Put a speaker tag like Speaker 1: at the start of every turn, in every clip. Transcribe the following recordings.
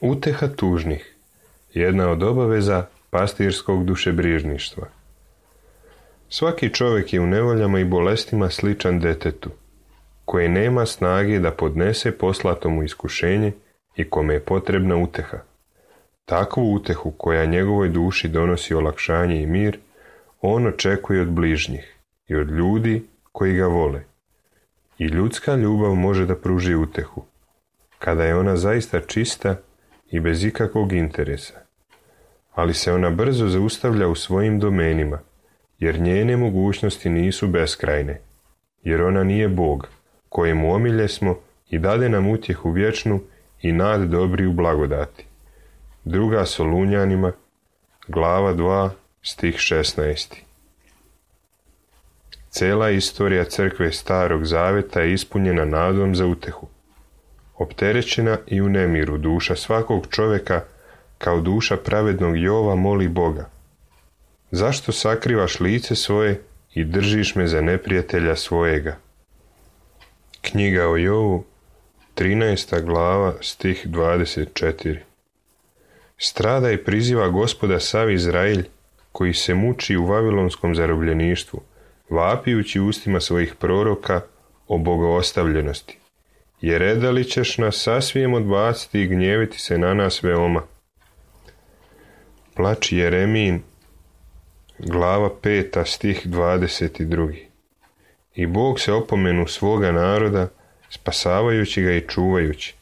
Speaker 1: Uteha tužnih, jedna od obaveza pastirskog dušebrižništva. Svaki čovjek je u nevoljama i bolestima sličan detetu, koji nema snage da podnese poslato mu iskušenje i kome je potrebna uteha. Takvu utehu koja njegovoj duši donosi olakšanje i mir, on očekuje od bližnjih i od ljudi koji ga vole. I ljudska ljubav može da pruži utehu, kada je ona zaista čista i bez ikakvog interesa. Ali se ona brzo zaustavlja u svojim domenima, jer njene mogućnosti nisu beskrajne, jer ona nije Bog, kojemu omilje smo i dade nam utjehu vječnu i nad dobri u blagodati. 2. Solunjanima, glava 2, stih 16. Cela istorija crkve Starog Zaveta je ispunjena nadom za utehu. Opterećena i u nemiru duša svakog čovjeka, kao duša pravednog Jova, moli Boga: zašto sakrivaš lice svoje i držiš me za neprijatelja svojega? Knjiga o Jovu, 13. glava, stih 24. Strada i priziva Gospoda sav Izraelj, koji se muči u vavilonskom zarobljeništvu, vapijući ustima svojih proroka o bogoostavljenosti. Jer redali ćeš nas sasvijem odbaciti i gnjeviti se na nas veoma. Plač Jeremijin, glava 5, stih 22. I Bog se opomenu svoga naroda, spasavajući ga i čuvajući,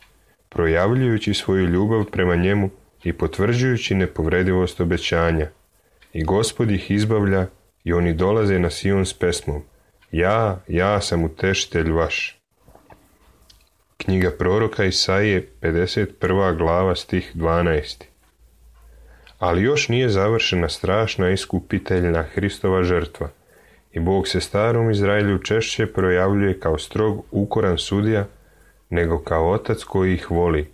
Speaker 1: projavljujući svoju ljubav prema njemu i potvrđujući nepovredivost obećanja. I Gospod ih izbavlja i oni dolaze na Sion s pesmom: ja sam utešitelj vaš. Knjiga proroka Isaije, 51. glava, stih 12. Ali još nije završena strašna iskupiteljna Hristova žrtva i Bog se starom Izraelju češće projavljuje kao strog, ukoran sudija, nego kao otac koji ih voli.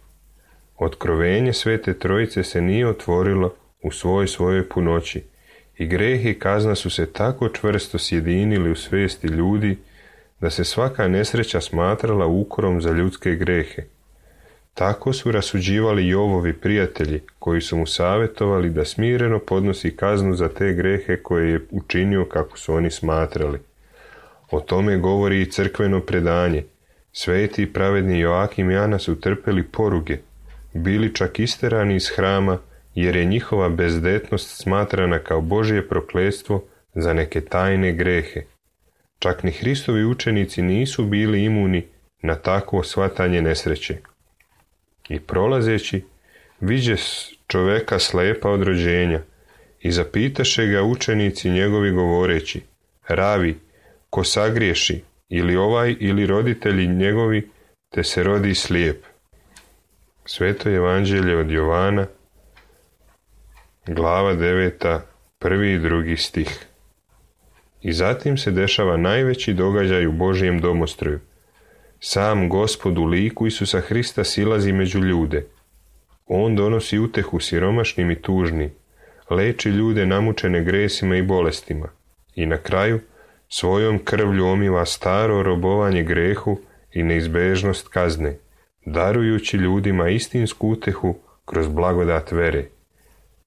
Speaker 1: Otkrovenje Svete Trojice se nije otvorilo u svojoj punoći i greh i kazna su se tako čvrsto sjedinili u svijesti ljudi da se svaka nesreća smatrala ukorom za ljudske grehe. Tako su rasuđivali Jovovi prijatelji, koji su mu savjetovali da smireno podnosi kaznu za te grehe koje je učinio kako su oni smatrali. O tome govori i crkveno predanje. Sveti i pravedni Joakim i Ana su trpeli poruge, bili čak isterani iz hrama, jer je njihova bezdetnost smatrana kao Božje prokletstvo za neke tajne grehe. Čak ni Hristovi učenici nisu bili imuni na takvo shvatanje nesreće. I prolazeći, viđe čoveka slepa od rođenja i zapitaše ga učenici njegovi govoreći: Ravi, ko sagriješi, ili ovaj ili roditelji njegovi, te se rodi slijep? Sveto evanđelje od Jovana, glava 9, 1. i 2. stih. I zatim se dešava najveći događaj u Božjem domostroju. Sam Gospod u liku Isusa Hrista silazi među ljude. On donosi utehu siromašnim i tužnim, leči ljude namučene gresima i bolestima i na kraju svojom krvlju omiva staro robovanje grehu i neizbežnost kazne, darujući ljudima istinsku utehu kroz blagodat vere.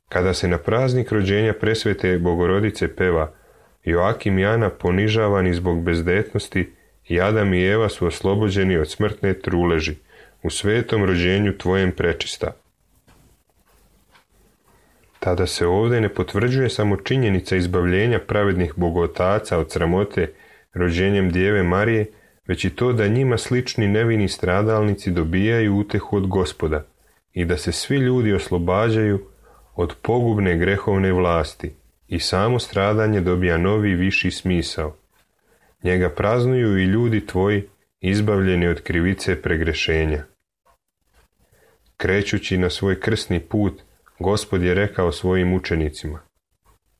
Speaker 1: Kada se na praznik rođenja presvete Bogorodice peva: Joakim i Ana ponižavani zbog bezdetnosti, i Adam i Eva su oslobođeni od smrtne truleži, u svetom rođenju tvojem prečista. Tada se ovdje ne potvrđuje samo činjenica izbavljenja pravednih bogotaca od sramote rođenjem Djeve Marije, već i to da njima slični nevini stradalnici dobijaju utehu od Gospoda i da se svi ljudi oslobađaju od pogubne grehovne vlasti i samo stradanje dobija novi viši smisao. Njega praznuju i ljudi tvoji, izbavljeni od krivice pregrešenja. Krećući na svoj krsni put, Gospod je rekao svojim učenicima: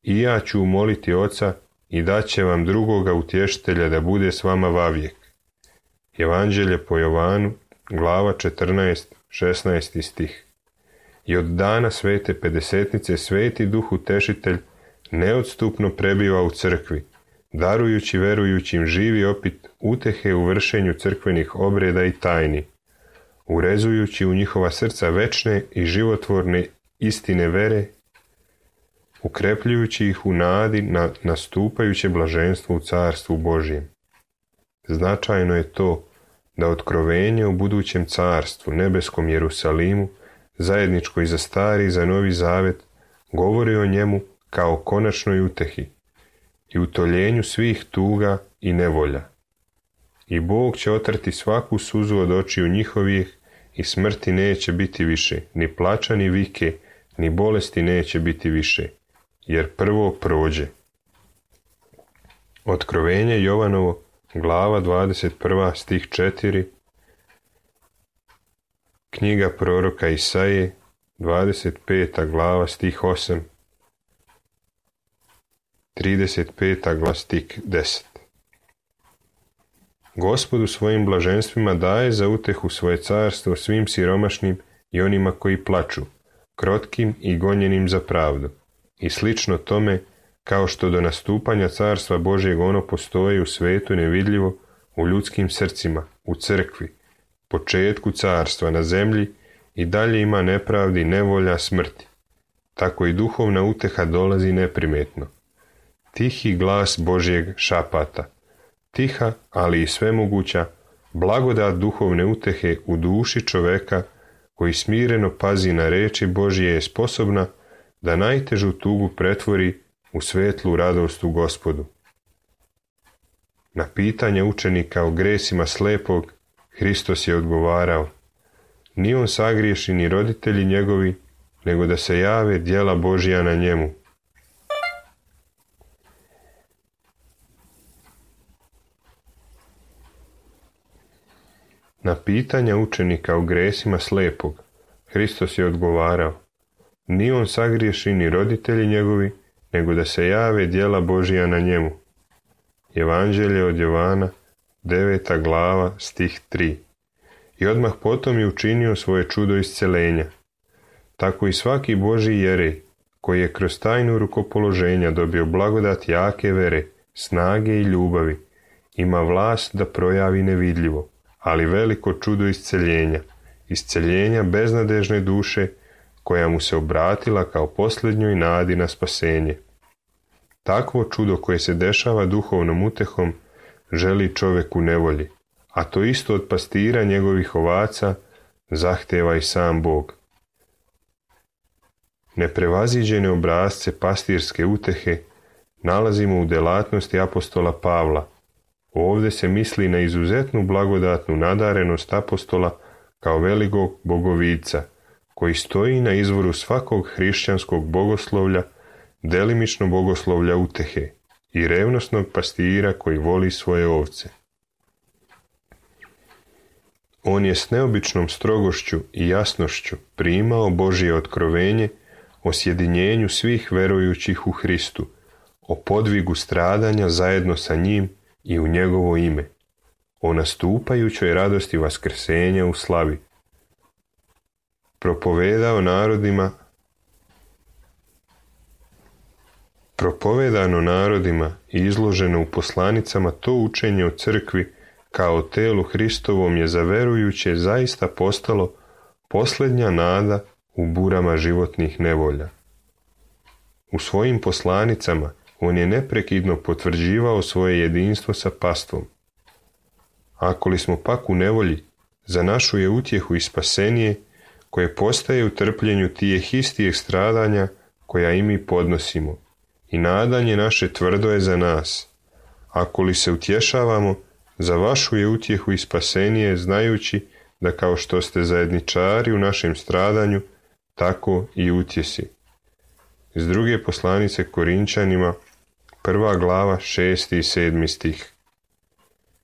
Speaker 1: I ja ću moliti Oca i daće vam drugoga utješitelja da bude s vama vavijek. Evanđelje po Jovanu, glava 14, 16. stih. I od dana svete pedesetnice Sveti Duh Utešitelj neodstupno prebiva u crkvi, darujući verujućim živi opit utehe u vršenju crkvenih obreda i tajni. urezujući u njihova srca večne i životvorne istine vere, ukrepljujući ih u nadi na nastupajuće blaženstvo u carstvu Božjem. Značajno je to da otkrovenje u budućem carstvu, nebeskom Jerusalimu, zajedničko i za stari i za novi zavet, govori o njemu kao konačnoj utehi i utoljenju svih tuga i nevolja. I Bog će otrti svaku suzu od očiju njihovih i smrti neće biti više, ni plača ni vike, ni bolesti neće biti više, jer prvo prođe. Otkrovenje Jovanovo, glava 21, stih 4, knjiga proroka Isaije, 25. glava, stih 8, 35. glava, stih 10. Gospodu svojim blaženstvima daje za utehu svoje carstvo svim siromašnim i onima koji plaču, krotkim i gonjenim za pravdu. I slično tome, kao što do nastupanja carstva Božjeg ono postoji u svetu nevidljivo, u ljudskim srcima, u crkvi, početku carstva na zemlji, i dalje ima nepravdi, nevolja, smrti. Tako i duhovna uteha dolazi neprimetno. Tihi glas Božjeg šapata. Tiha, ali i svemoguća, blagodat duhovne utehe u duši čoveka koji smireno pazi na reči Božje je sposobna da najtežu tugu pretvori u svetlu radost u Gospodu. Na pitanje učenika o gresima slepog, Hristos je odgovarao: ni on sagriješi ni roditelji njegovi, nego da se jave djela Božja na njemu. Na pitanja učenika o gresima slepog, Hristos je odgovarao: ni on sagriješi ni roditelji njegovi, nego da se jave djela Božja na njemu. Evanđelje od Jovana, 9. glava, stih 3. I odmah potom je učinio svoje čudo isceljenja. Tako i svaki Božji jerej, koji je kroz tajnu rukopoloženja dobio blagodat jake vere, snage i ljubavi, ima vlast da projavi nevidljivo, ali veliko čudo isceljenja beznadežne duše, koja mu se obratila kao posljednjoj nadi na spasenje. Takvo čudo koje se dešava duhovnom utehom želi čovjek u nevolji, a to isto od pastira njegovih ovaca zahteva i sam Bog. Neprevaziđene obrazce pastirske utehe nalazimo u delatnosti apostola Pavla. Ovdje se misli na izuzetnu blagodatnu nadarenost apostola kao velikog bogovica, koji stoji na izvoru svakog hrišćanskog bogoslovlja, delimično bogoslovlja utehe, i revnosnog pastira koji voli svoje ovce. On je s neobičnom strogošću i jasnošću primao Božje otkrovenje o sjedinjenju svih verujućih u Hristu, o podvigu stradanja zajedno sa njim i u njegovo ime, o nastupajućoj radosti vaskrsenja u slavi. Propovedano narodima i izloženo u poslanicama, to učenje o crkvi kao o telu Hristovom je za verujuće zaista postalo posljednja nada u burama životnih nevolja. U svojim poslanicama on je neprekidno potvrđivao svoje jedinstvo sa pastvom. Ako li smo pak u nevolji, za našu je utjehu i spasenje, koje postaje u trpljenju tijeh istijeg stradanja koja i mi podnosimo, i nadanje naše tvrdo je za nas. Ako li se utješavamo, za vašu je utjehu i spasenje, znajući da kao što ste zajedničari u našem stradanju, tako i utjesi. Iz druge poslanice Korinčanima, 1. glava, 6. i 7. stih.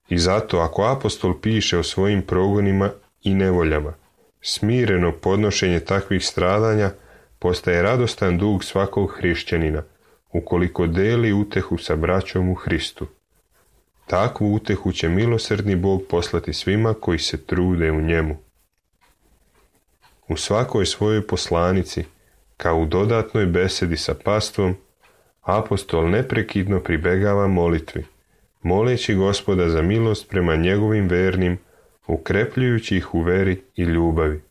Speaker 1: I zato, ako apostol piše o svojim progonima i nevoljama, smireno podnošenje takvih stradanja postaje radostan dug svakog hrišćanina, ukoliko deli utehu sa braćom u Hristu. Takvu utehu će milosrdni Bog poslati svima koji se trude u njemu. U svakoj svojoj poslanici, kao u dodatnoj besedi sa pastvom, apostol neprekidno pribegava molitvi, moleći Gospoda za milost prema njegovim vernim ukrepljujući ih u veri i ljubavi.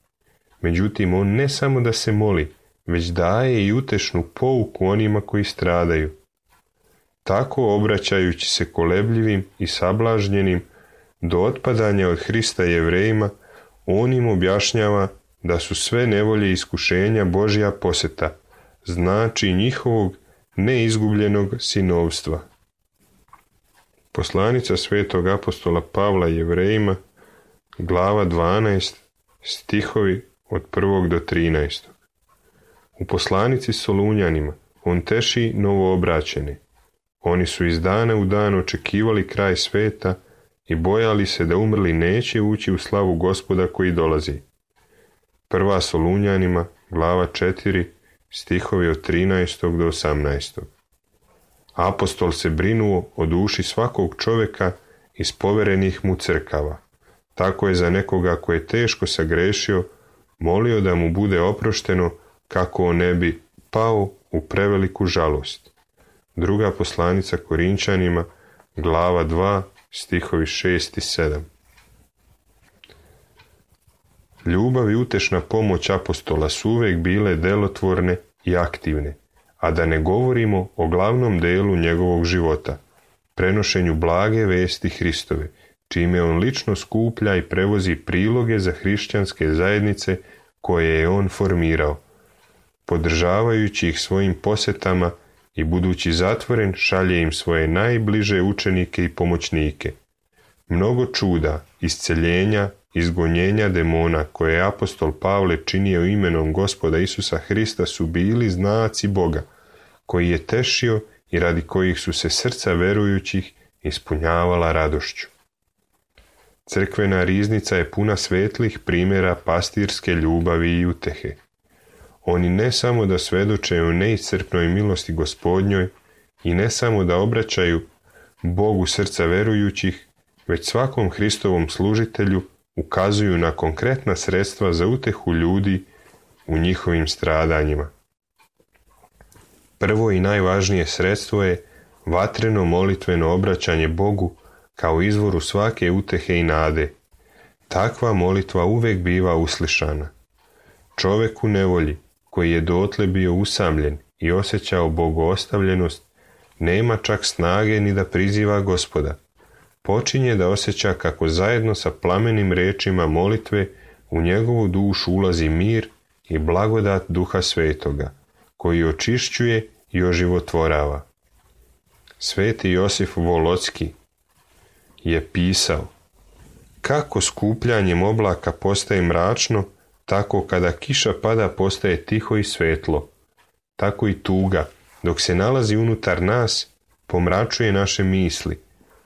Speaker 1: Međutim, on ne samo da se moli, već daje i utešnu pouku onima koji stradaju. Tako, obraćajući se kolebljivim i sablažnjenim do otpadanja od Hrista Jevrejima, on im objašnjava da su sve nevolje i iskušenja Božja poseta, znači njihovog neizgubljenog sinovstva. Poslanica svetog apostola Pavla Jevrejima, glava 12, stihovi od 1. do 13. U poslanici Solunjanima on teši novoobraćene. Oni su iz dana u dan očekivali kraj sveta i bojali se da umrli neće ući u slavu Gospoda koji dolazi. Prva Solunjanima, glava 4, stihovi od 13. do 18. Apostol se brinuo o duši svakog čovjeka iz poverenih mu crkava. Tako je za nekoga ko je teško sagrešio molio da mu bude oprošteno kako on ne bi pao u preveliku žalost. Druga poslanica Korinčanima, glava 2, stihovi 6 i 7. Ljubav i utešna pomoć apostola su uvijek bile delotvorne i aktivne, a da ne govorimo o glavnom delu njegovog života, prenošenju blage vesti Hristove, čime on lično skuplja i prevozi priloge za hrišćanske zajednice koje je on formirao, podržavajući ih svojim posetama i budući zatvoren šalje im svoje najbliže učenike i pomoćnike. Mnogo čuda, isceljenja, izgonjenja demona koje je apostol Pavle činio imenom Gospoda Isusa Hrista su bili znaci Boga, koji je tešio i radi kojih su se srca verujućih ispunjavala radošću. Crkvena riznica je puna svetlih primjera pastirske ljubavi i utehe. Oni ne samo da svedoče o neiscrpnoj milosti Gospodnjoj i ne samo da obraćaju Bogu srca verujućih, već svakom Hristovom služitelju ukazuju na konkretna sredstva za utehu ljudi u njihovim stradanjima. Prvo i najvažnije sredstvo je vatreno molitveno obraćanje Bogu kao izvoru svake utehe i nade. Takva molitva uvijek biva uslišana. Čovjek u nevolji, koji je dotle bio usamljen i osjećao bogoostavljenost, nema čak snage ni da priziva Gospoda. Počinje da osjeća kako zajedno sa plamenim riječima molitve u njegovu dušu ulazi mir i blagodat Duha Svetoga, koji očišćuje i oživotvorava. Sveti Josif Volocki je pisao: kako skupljanjem oblaka postaje mračno, tako kada kiša pada postaje tiho i svetlo. Tako i tuga, dok se nalazi unutar nas, pomračuje naše misli,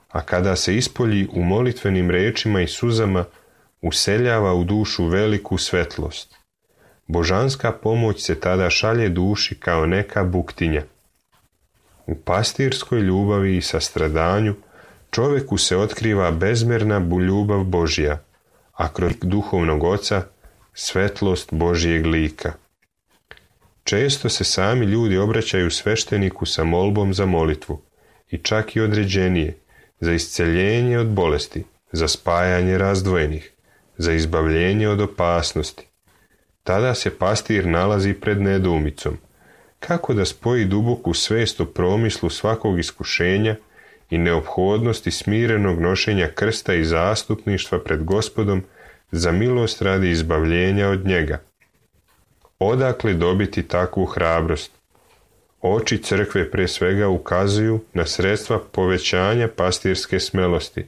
Speaker 1: a kada se ispolji u molitvenim rečima i suzama, useljava u dušu veliku svetlost. Božanska pomoć se tada šalje duši kao neka buktinja. U pastirskoj ljubavi i sastradanju čovjeku se otkriva bezmjerna ljubav Božja, a kroz duhovnog oca svetlost Božjeg lika. Često se sami ljudi obraćaju svešteniku sa molbom za molitvu, i čak i određenije, za isceljenje od bolesti, za spajanje razdvojenih, za izbavljenje od opasnosti. Tada se pastir nalazi pred nedoumicom, kako da spoji duboku svest o promislu svakog iskušenja i neophodnosti smirenog nošenja krsta i zastupništva pred Gospodom za milost radi izbavljenja od njega. Odakle dobiti takvu hrabrost? Oči crkve pre svega ukazuju na sredstva povećanja pastirske smelosti.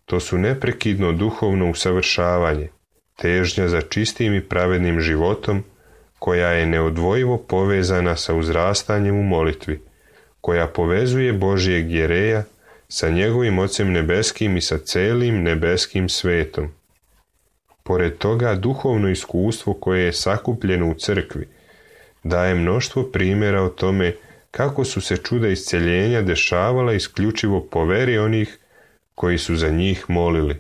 Speaker 1: To su neprekidno duhovno usavršavanje, težnja za čistim i pravednim životom, koja je neodvojivo povezana sa uzrastanjem u molitvi, koja povezuje Božjeg jereja sa njegovim Ocem nebeskim i sa celim nebeskim svetom. Pored toga, duhovno iskustvo koje je sakupljeno u crkvi daje mnoštvo primjera o tome kako su se čuda isceljenja dešavala isključivo po veri onih koji su za njih molili.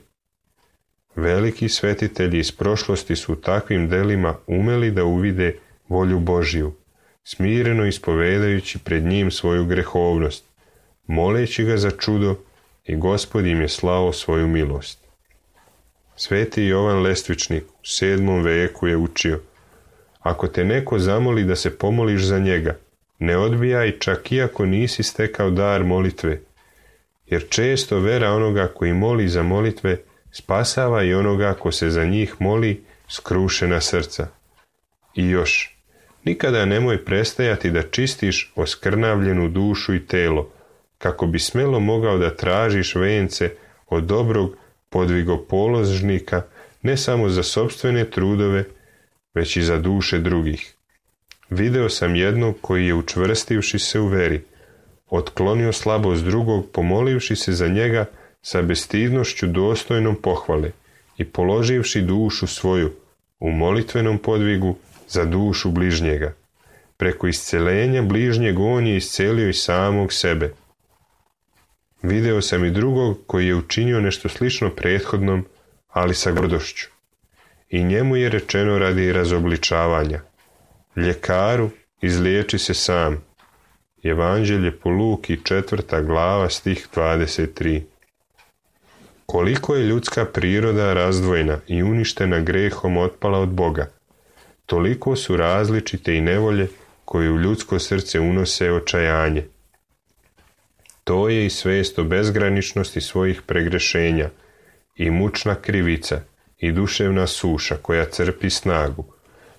Speaker 1: Veliki svetitelji iz prošlosti su u takvim delima umeli da uvide volju Božju, smireno ispovedajući pred njim svoju grehovnost, moleći ga za čudo, i Gospod im je slao svoju milost. Sveti Jovan Lestvičnik u 7. veku je učio: ako te neko zamoli da se pomoliš za njega, ne odbijaj čak iako nisi stekao dar molitve, jer često vera onoga koji moli za molitve spasava i onoga ko se za njih moli skrušena srca. I još, nikada nemoj prestajati da čistiš oskrnavljenu dušu i telo, kako bi smelo mogao da tražiš vence od dobrog podvigopoložnika, ne samo za sopstvene trudove, već i za duše drugih. Video sam jednog koji je, učvrstivši se u veri, otklonio slabost drugog, pomolivši se za njega sa bestidnošću dostojnom pohvale i položivši dušu svoju u molitvenom podvigu za dušu bližnjega. Preko isceljenja bližnjeg on je iscelio i samog sebe. Video sam i drugog koji je učinio nešto slično prethodnom, ali sa gordošću. I njemu je rečeno radi razobličavanja: ljekaru, izliječi se sam. Evanđelje po Luki 4. glava stih 23. Koliko je ljudska priroda razdvojena i uništena grehom otpala od Boga, toliko su različite i nevolje koje u ljudsko srce unose očajanje. To je i svest o bezgraničnosti svojih pregrešenja, i mučna krivica, i duševna suša koja crpi snagu.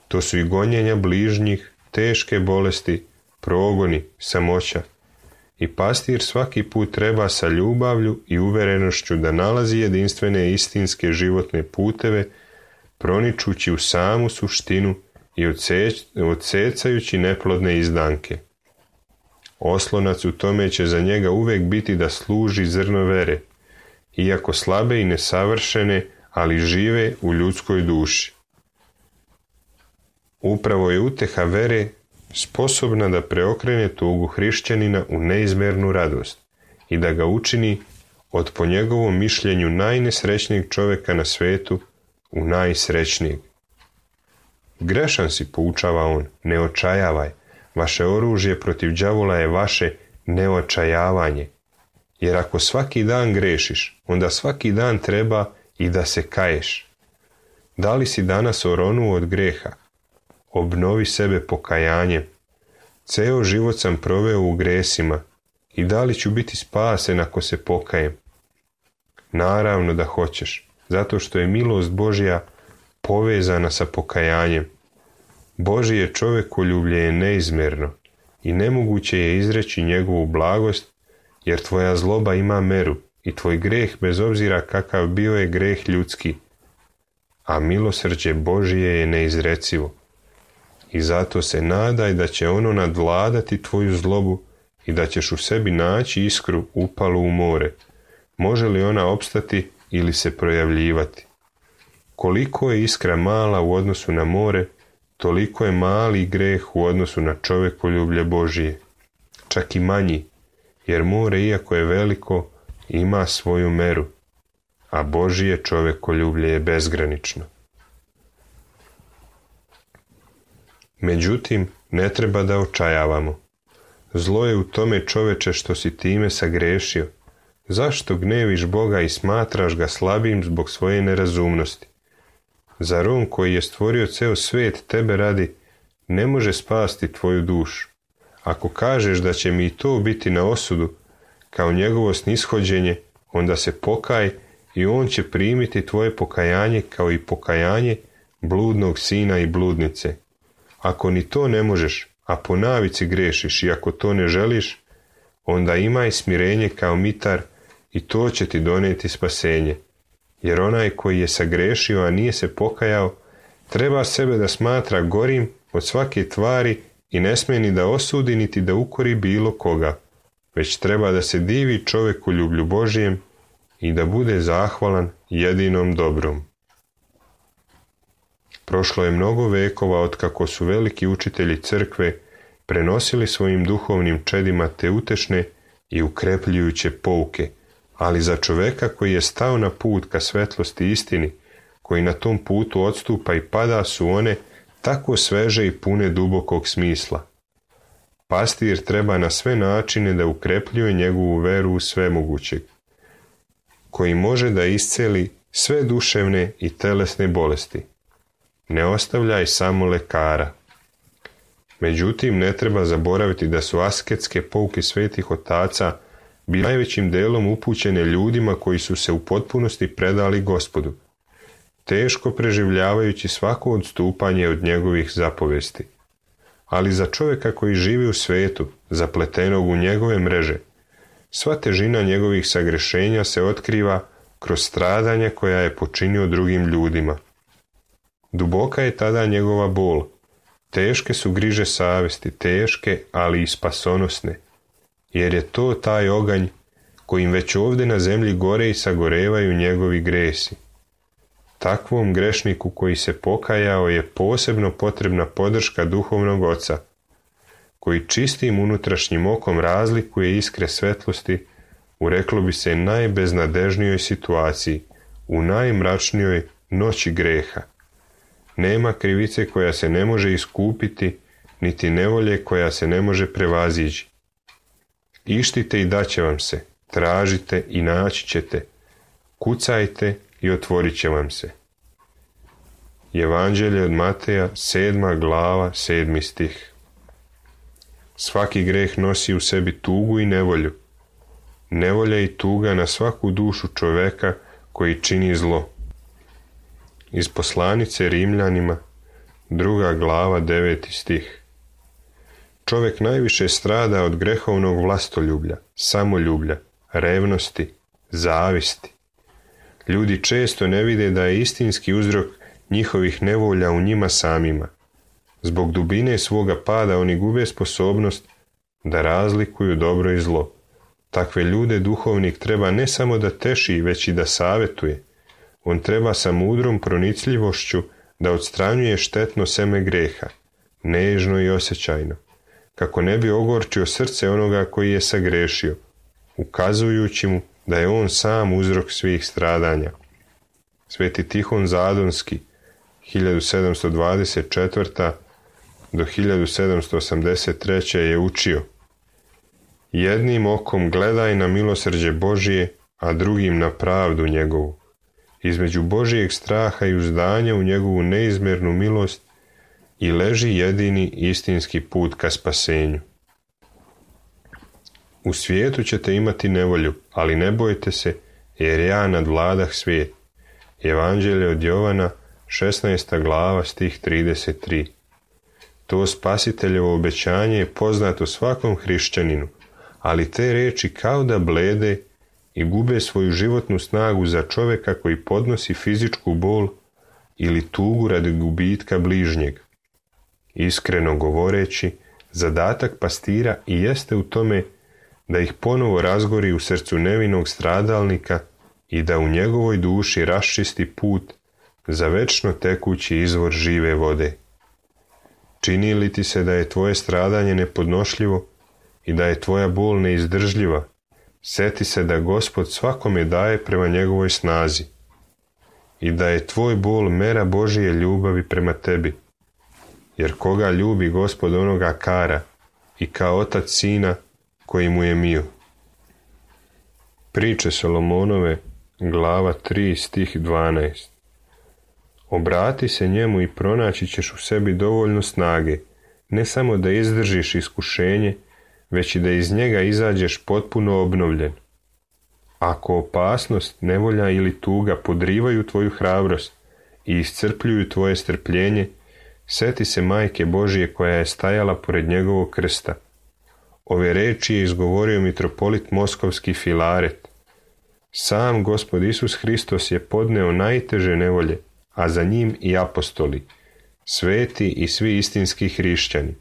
Speaker 1: To su i gonjenja bližnjih, teške bolesti, progoni, samoća. I pastir svaki put treba sa ljubavlju i uverenošću da nalazi jedinstvene istinske životne puteve, proničući u samu suštinu i odsecajući neplodne izdanke. Oslonac u tome će za njega uvek biti da služi zrno vere, iako slabe i nesavršene, ali žive u ljudskoj duši. Upravo je uteha vere sposobna da preokrene tugu hrišćanina u neizmernu radost i da ga učini od, po njegovom mišljenju, najnesrećnijeg čovjeka na svetu u najsrećnijeg. Grešan si, poučava on, ne očajavaj. Vaše oružje protiv đavola je vaše neočajavanje. Jer ako svaki dan grešiš, onda svaki dan treba i da se kaješ. Da li si danas oronuo od greha? Obnovi sebe pokajanjem. Ceo život sam proveo u gresima i da li ću biti spasen ako se pokajem? Naravno da hoćeš, zato što je milost Božja povezana sa pokajanjem. Božje čovekoljublje je neizmjerno i nemoguće je izreći njegovu blagost, jer tvoja zloba ima meru i tvoj greh, bez obzira kakav bio, je greh ljudski, a milosrđe Božje je neizrecivo. I zato se nadaj da će ono nadvladati tvoju zlobu i da ćeš u sebi naći iskru upalu u more. Može li ona opstati ili se projavljivati? Koliko je iskra mala u odnosu na more, toliko je mali greh u odnosu na čovekoljublje Božije. Čak i manji, jer more, iako je veliko, ima svoju meru, a Božije čovekoljublje je bezgranično. Međutim, ne treba da očajavamo. Zlo je u tome, čoveče, što si time sagrešio. Zašto gneviš Boga i smatraš ga slabim zbog svoje nerazumnosti? Zar on koji je stvorio ceo svet tebe radi, ne može spasti tvoju dušu? Ako kažeš da će mi i to biti na osudu, kao njegovo snishođenje, onda se pokaj i on će primiti tvoje pokajanje kao i pokajanje bludnog sina i bludnice. Ako ni to ne možeš, a po navici grešiš i ako to ne želiš, onda imaj smirenje kao mitar i to će ti donijeti spasenje. Jer onaj koji je sagrešio, a nije se pokajao, treba sebe da smatra gorim od svake tvari i ne smije ni da osudi niti da ukori bilo koga, već treba da se divi čovekoljublju Božijem i da bude zahvalan jedinom dobrom. Prošlo je mnogo vekova otkako su veliki učitelji crkve prenosili svojim duhovnim čedima te utešne i ukrepljujuće pouke, ali za čoveka koji je stao na put ka svetlosti i istini, koji na tom putu odstupa i pada, su one tako sveže i pune dubokog smisla. Pastir treba na sve načine da ukrepljuje njegovu veru u svemogućeg, koji može da isceli sve duševne i telesne bolesti. Ne ostavljaj samo lekara. Međutim, ne treba zaboraviti da su asketske pouke svetih otaca bile najvećim delom upućene ljudima koji su se u potpunosti predali Gospodu, teško preživljavajući svako odstupanje od njegovih zapovesti. Ali za čovjeka koji živi u svetu, zapletenog u njegove mreže, sva težina njegovih sagrešenja se otkriva kroz stradanja koja je počinio drugim ljudima. Duboka je tada njegova bol, teške su griže savesti, teške, ali i spasonosne, jer je to taj oganj kojim već ovdje na zemlji gore i sagorevaju njegovi gresi. Takvom grešniku koji se pokajao je posebno potrebna podrška duhovnog oca, koji čistim unutrašnjim okom razlikuje iskre svetlosti u, reklo bi se, najbeznadežnijoj situaciji, u najmračnijoj noći greha. Nema krivice koja se ne može iskupiti, niti nevolje koja se ne može prevazići. Ištite i daće vam se, tražite i naći ćete, kucajte i otvorit će vam se. Evanđelje od Mateja, 7. glava, 7. stih. Svaki greh nosi u sebi tugu i nevolju. Nevolja i tuga na svaku dušu čoveka koji čini zlo. Iz poslanice Rimljanima, 2. glava, 9. stih. Čovjek najviše strada od grehovnog vlastoljublja, samoljublja, revnosti, zavisti. Ljudi često ne vide da je istinski uzrok njihovih nevolja u njima samima. Zbog dubine svoga pada oni gube sposobnost da razlikuju dobro i zlo. Takve ljude duhovnik treba ne samo da teši, već i da savjetuje. On treba sa mudrom pronicljivošću da odstranjuje štetno seme greha, nežno i osjećajno, kako ne bi ogorčio srce onoga koji je sagrešio, ukazujući mu da je on sam uzrok svih stradanja. Sveti Tihon Zadonski, 1724. do 1783. je učio: jednim okom gledaj na milosrđe Božije, a drugim na pravdu njegovu. Između Božijeg straha i uzdanja u njegovu neizmjernu milost i leži jedini istinski put ka spasenju. U svijetu ćete imati nevolju, ali ne bojte se, jer ja nadvladah svijet. Evanđelje od Jovana, 16. glava, stih 33. To Spasiteljevo obećanje je poznato svakom hrišćaninu, ali te riječi kao da blede i gube svoju životnu snagu za čovjeka koji podnosi fizičku bol ili tugu radi gubitka bližnjeg. Iskreno govoreći, zadatak pastira i jeste u tome da ih ponovo razgori u srcu nevinog stradalnika i da u njegovoj duši raščisti put za večno tekući izvor žive vode. Čini li ti se da je tvoje stradanje nepodnošljivo i da je tvoja bol neizdržljiva, seti se da Gospod svakome daje prema njegovoj snazi i da je tvoj bol mera Božije ljubavi prema tebi, jer koga ljubi Gospod onoga kara i kao otac sina koji mu je mio. Priče Solomonove, glava 3, stih 12. Obrati se njemu i pronaći ćeš u sebi dovoljno snage, ne samo da izdržiš iskušenje, već i da iz njega izađeš potpuno obnovljen. Ako opasnost, nevolja ili tuga podrivaju tvoju hrabrost i iscrpljuju tvoje strpljenje, seti se Majke Božije koja je stajala pored njegovog krsta. Ove reči je izgovorio mitropolit moskovski Filaret. Sam Gospod Isus Hristos je podneo najteže nevolje, a za njim i apostoli, sveti i svi istinski hrišćani.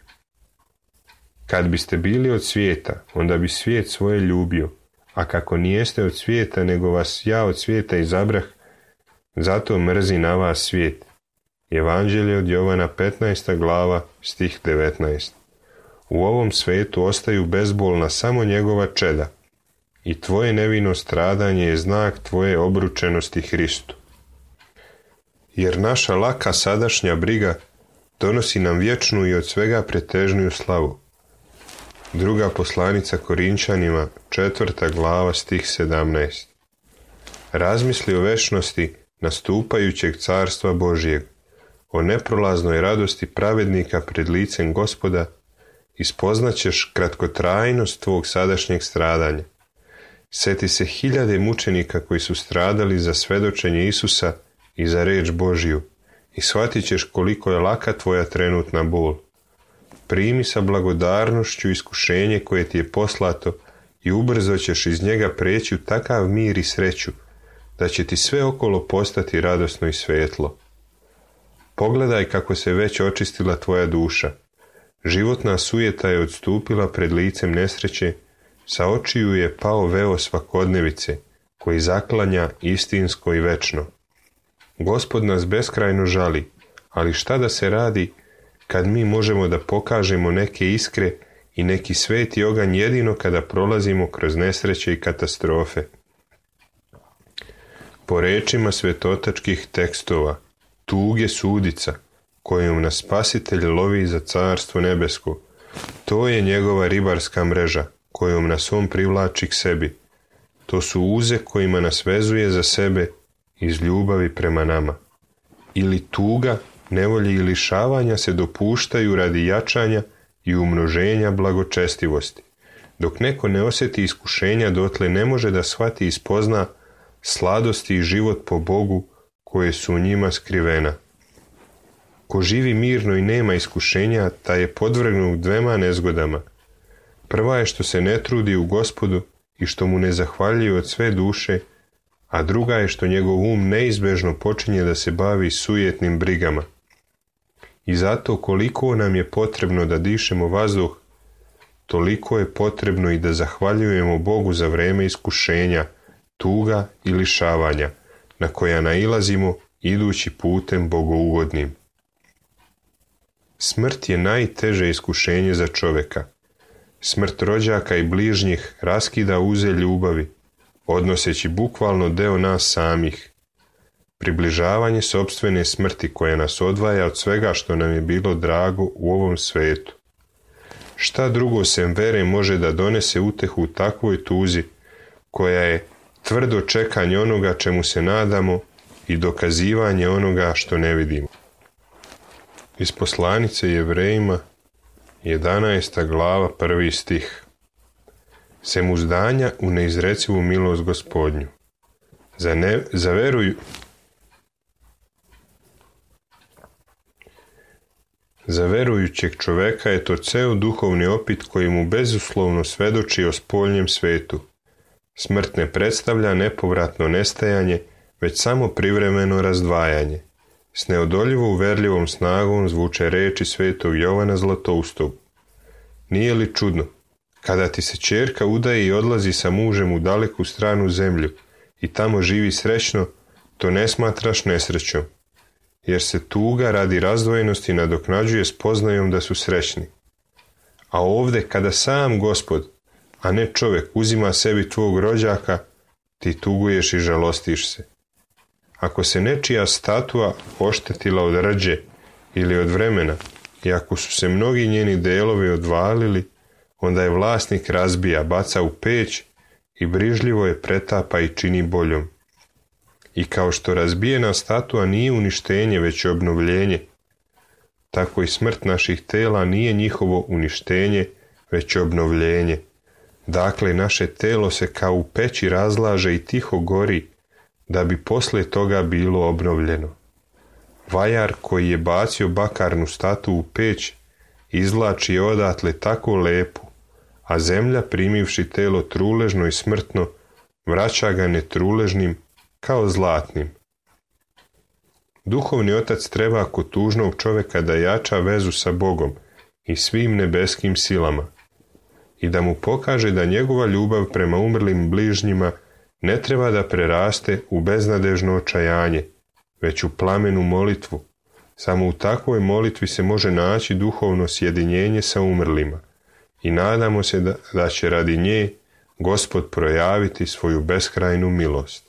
Speaker 1: Kad biste bili od svijeta, onda bi svijet svoje ljubio, a kako nijeste od svijeta, nego vas ja od svijeta izabrah, zato mrzi na vas svijet. Evanđelje od Jovana, 15. glava, stih 19. U ovom svetu ostaju bezbolna samo njegova čeda i tvoje nevino stradanje je znak tvoje obručenosti Hristu. Jer naša laka sadašnja briga donosi nam vječnu i od svega pretežniju slavu. Druga poslanica Korinčanima, 4. glava, stih 17. Razmisli o večnosti nastupajućeg carstva Božijeg, o neprolaznoj radosti pravednika pred licem Gospoda i spoznaćeš kratkotrajnost tvog sadašnjeg stradanja. Sjeti se 1000 mučenika koji su stradali za svedočenje Isusa i za reč Božiju i shvatit ćeš koliko je laka tvoja trenutna bol. Primi sa blagodarnošću iskušenje koje ti je poslato i ubrzo ćeš iz njega preći u takav mir i sreću da će ti sve okolo postati radosno i svetlo. Pogledaj kako se već očistila tvoja duša. Životna sujeta je odstupila pred licem nesreće, sa očiju je pao veo svakodnevice, koji zaklanja istinsko i večno. Gospod nas beskrajno žali, ali šta da se radi kad mi možemo da pokažemo neke iskre i neki sveti oganj jedino kada prolazimo kroz nesreće i katastrofe. Po rečima svetotačkih tekstova, tuge sudica, kojom nas Spasitelj lovi za carstvo nebesko, to je njegova ribarska mreža, kojom nas on privlači k sebi. To su uze kojima nas vezuje za sebe iz ljubavi prema nama. Ili tuga, nevolje i lišavanja se dopuštaju radi jačanja i umnoženja blagočestivosti. Dok neko ne osjeti iskušenja, dotle ne može da shvati i spozna sladosti i život po Bogu koje su u njima skrivena. Ko živi mirno i nema iskušenja, taj je podvrgnut 2 nezgodama. Prva je što se ne trudi u Gospodu i što mu ne zahvaljuje od sve duše, a druga je što njegov um neizbežno počinje da se bavi sujetnim brigama. I zato koliko nam je potrebno da dišemo vazduh, toliko je potrebno i da zahvaljujemo Bogu za vreme iskušenja, tuga i lišavanja, na koja nailazimo idući putem bogougodnim. Smrt je najteže iskušenje za čovjeka. Smrt rođaka i bližnjih raskida uze ljubavi, odnoseći bukvalno deo nas samih. Približavanje sopstvene smrti koja nas odvaja od svega što nam je bilo drago u ovom svetu. Šta drugo sem vere može da donese utehu u takvoj tuzi, koja je tvrdo čekanje onoga čemu se nadamo i dokazivanje onoga što ne vidimo. Iz poslanice Jevrejima, 11. glava, 1. stih. Sem uzdanja u neizrecivu milost Gospodnju. Za verujućeg čoveka je to ceo duhovni opit koji mu bezuslovno svedoči o spoljnjem svetu. Smrt ne predstavlja nepovratno nestajanje, već samo privremeno razdvajanje. S neodoljivo uverljivom snagom zvuče reči svetog Jovana Zlatoustog. Nije li čudno, kada ti se ćerka udaje i odlazi sa mužem u daleku stranu zemlju i tamo živi srećno, to ne smatraš nesrećom, jer se tuga radi razdvojenosti nadoknađuje spoznajom da su srećni. A ovdje kada sam Gospod, a ne čovjek, uzima sebi tvog rođaka, ti tuguješ i žalostiš se. Ako se nečija statua oštetila od rđe ili od vremena i ako su se mnogi njeni delovi odvalili, onda je vlasnik razbija, baca u peć i brižljivo je pretapa i čini boljom. I kao što razbijena statua nije uništenje već obnovljenje, tako i smrt naših tela nije njihovo uništenje već obnovljenje. Dakle, naše telo se kao u peći razlaže i tiho gori, da bi poslije toga bilo obnovljeno. Vajar koji je bacio bakarnu statu u peć izvlači je odatle tako lepu, a zemlja primivši telo truležno i smrtno vraća ga netruležnim kao zlatnim. Duhovni otac treba kod tužnog čovjeka da jača vezu sa Bogom i svim nebeskim silama i da mu pokaže da njegova ljubav prema umrlim bližnjima ne treba da preraste u beznadežno očajanje, već u plamenu molitvu. Samo u takvoj molitvi se može naći duhovno sjedinjenje sa umrlima i nadamo se da će radi nje Gospod projaviti svoju beskrajnu milost.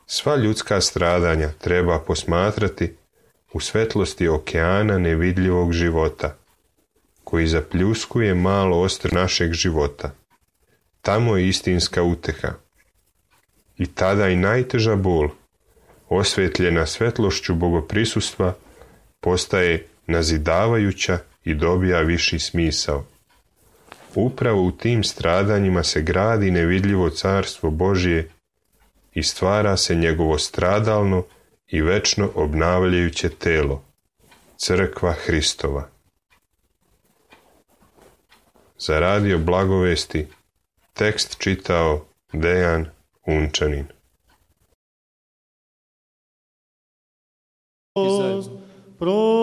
Speaker 1: Sva ljudska stradanja treba posmatrati u svetlosti okeana nevidljivog života, koji zapljuskuje malo ostrvo našeg života. Tamo je istinska uteha. I tada i najteža bol, osvetljena svetlošću bogoprisustva, postaje nazidavajuća i dobija viši smisao. Upravo u tim stradanjima se gradi nevidljivo carstvo Božje i stvara se njegovo stradalno i večno obnavljajuće telo, crkva Hristova. Za radio Blagovesti tekst čitao Dejan Unčanin.
Speaker 2: Prosti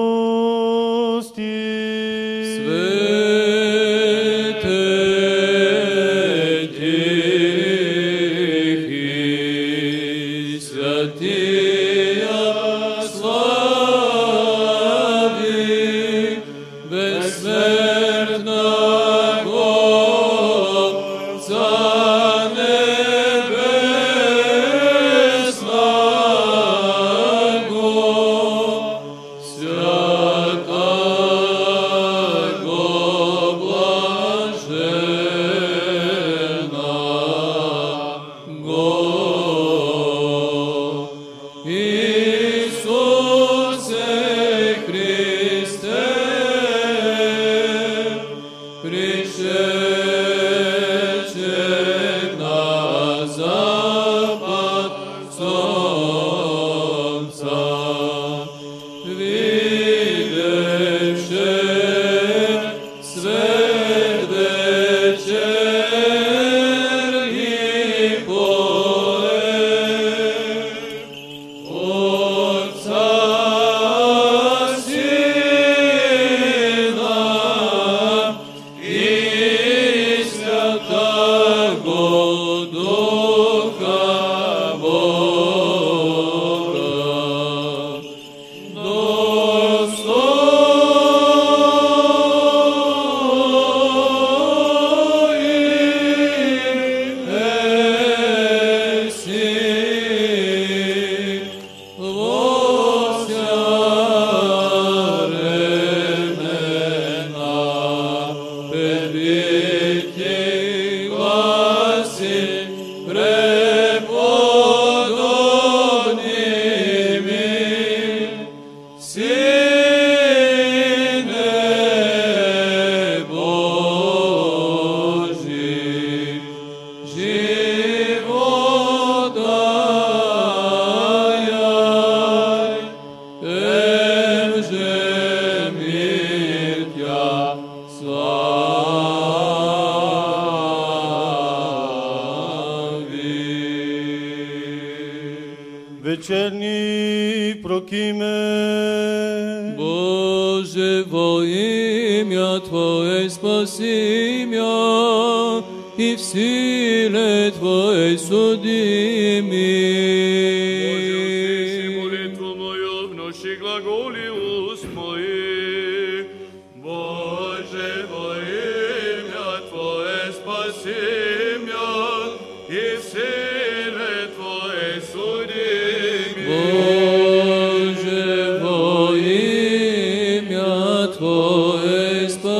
Speaker 3: Večerní prokíme.
Speaker 2: Bože, во имя Твое спаси меня, и в силе Твоей суди меня.
Speaker 3: Боже, услыши молитву мою, внуши глаголи уст моих. Боже, во имя Твое спаси меня, и в силе Твоей суди
Speaker 2: Боже, во имя Твое спаси